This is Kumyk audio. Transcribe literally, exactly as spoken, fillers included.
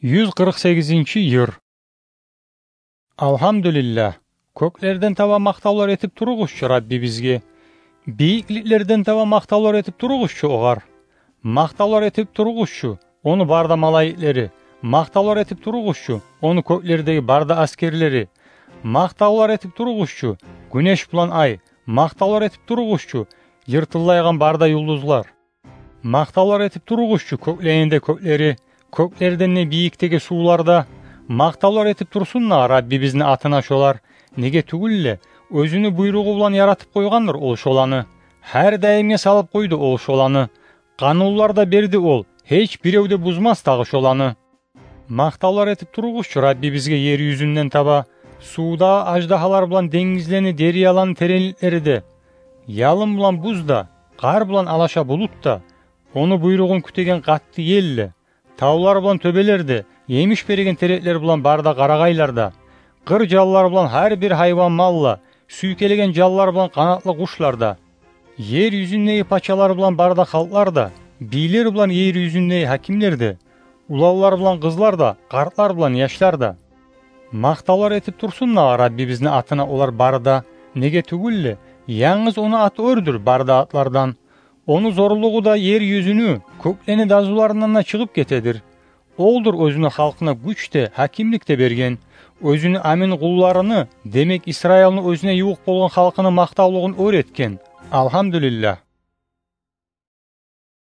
Юз къыркъ сегизинчи йыр. Алгьамдулиллагь, кёклерден таба макътавлар этип туругъузчу Раббибизге. Бийикликлерден таба макътавлар этип туругъузчу огъар. Макътавлар этип туругъузчу ону бары да малайиклери. Макътавлар этип туругъузчу ону кёклердеги бары да асгерлери. Макътавлар этип туругъузчу гюнеш булан ай. Макътавлар этип туругъузчу йыртыллайгъан бары да юлдузлар. Макътавлар этип туругъузчу кёклени де кёклери, кёклерден де бийикдеги сувлар да. Макътавлар этип турсун да Раббибизни атына шолар. Неге тюгюл де, оьзюню буйругъу булан яратып къойгъандыр ол шоланы. Гьар даимге салып къойду ол шоланы. Къанунлар да берди ол, гьеч бирев де бузмас дагъы шоланы. Макътавлар этип туругъузчу Раббибизге ер юзюнден таба, сувдагъы аждагьалар булан денгизлени, дерьяланы теренликлери де, ялын булан буз да, къар булан алаша булут да, ону буйругъун кютеген къатты ел де, тавлар булан тёбелер де, емиш береген тереклер булан бары да къарагъайлар да, къыр жанлар булан гьар бир гьайван мал да, сюйкелеген жанлар булан къанатлы къушлар да, ер юзюндеги пачалар булан бары да халкълар да, бийлер булан ер юзюндеги гьакимлер де, уланлар булан къызлар да, къартлар булан яшлар да. Макътавлар этип турсун да Раббибизни атына олар бары да, неге тюгюл де, янгыз ону аты оьрдюр бары да атлардан. Ону зорлугъу да ер юзюню, кёклени дазуларындан да чыгъып гетедир. Олдур оьзюню халкъына гюч де, гьакимлик де берген. Оьзюню амин къулларыны, демек, Исраилни оьзюне ювукъ болгъан халкъыны макътавлугъун оьр этген. Алгьамдулиллагь.